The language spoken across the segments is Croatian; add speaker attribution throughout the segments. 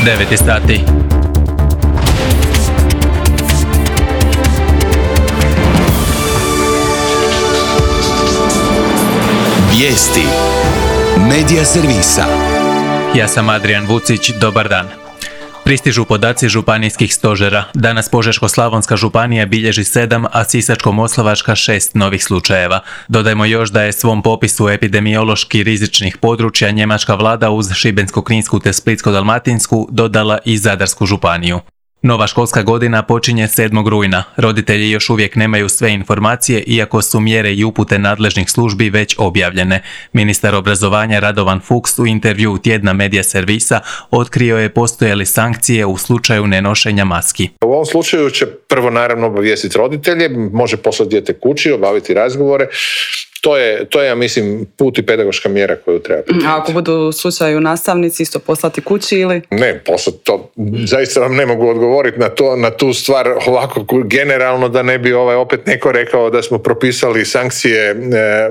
Speaker 1: 9 sati.
Speaker 2: Vijesti Medija servisa.
Speaker 1: Ja sam Adrian Vucić, dobar dan. Pristižu podaci županijskih stožera. Danas Požeško-slavonska županija bilježi 7, a Sisačko-moslavačka 6 novih slučajeva. Dodajmo još da je svom popisu epidemiološki rizičnih područja njemačka vlada uz Šibensko-kninsku te Splitsko-dalmatinsku dodala i Zadarsku županiju. Nova školska godina počinje 7. rujna. Roditelji još uvijek nemaju sve informacije, iako su mjere i upute nadležnih službi već objavljene. Ministar obrazovanja Radovan Fuchs u intervjuu tjedna Medija servisa otkrio je postoje li sankcije u slučaju nenošenja maski.
Speaker 3: U ovom slučaju će prvo naravno obavijestiti roditelje, može poslati dijete kući, obaviti razgovore. To je, ja mislim, put i pedagoška mjera koju treba primijeniti.
Speaker 4: A ako budu u slučaju nastavnici isto poslati kući ili?
Speaker 3: Ne, poslati to, zaista vam ne mogu odgovoriti na tu stvar ovako generalno, da ne bi opet neko rekao da smo propisali sankcije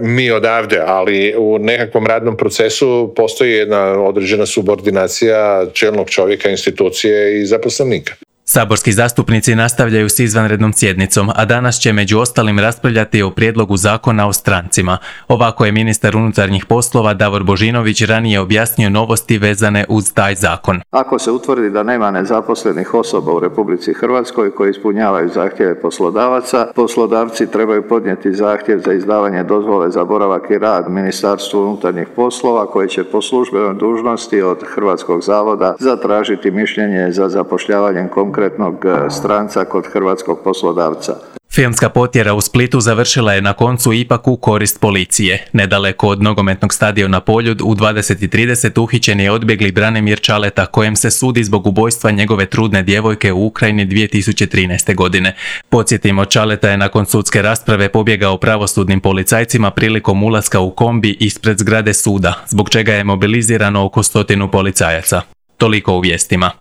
Speaker 3: mi odavde, ali u nekakvom radnom procesu postoji jedna određena subordinacija čelnog čovjeka, institucije i zaposlenika.
Speaker 1: Saborski zastupnici nastavljaju s izvanrednom sjednicom, a danas će među ostalim raspravljati o prijedlogu zakona o strancima. Ovako je ministar unutarnjih poslova Davor Božinović ranije objasnio novosti vezane uz taj zakon.
Speaker 5: Ako se utvrdi da nema nezaposlenih osoba u Republici Hrvatskoj koji ispunjavaju zahtjeve poslodavaca, poslodavci trebaju podnijeti zahtjev za izdavanje dozvole za boravak i rad Ministarstvu unutarnjih poslova, koje će po službenoj dužnosti od Hrvatskog zavoda zatražiti mišljenje za zapošljavanjem konkretnog stranca kod hrvatskog poslodavca.
Speaker 1: Filmska potjera u Splitu završila je na koncu ipak u korist policije. Nedaleko od nogometnog stadiona Poljud u 20:30 uhićen je odbjegli Branimir Čaleta, kojem se sudi zbog ubojstva njegove trudne djevojke u Ukrajini 2013. godine. Podsjetimo, Čaleta je nakon sudske rasprave pobjegao pravosudnim policajcima prilikom ulaska u kombi ispred zgrade suda, zbog čega je mobilizirano oko 100 policajaca. Toliko u vijestima.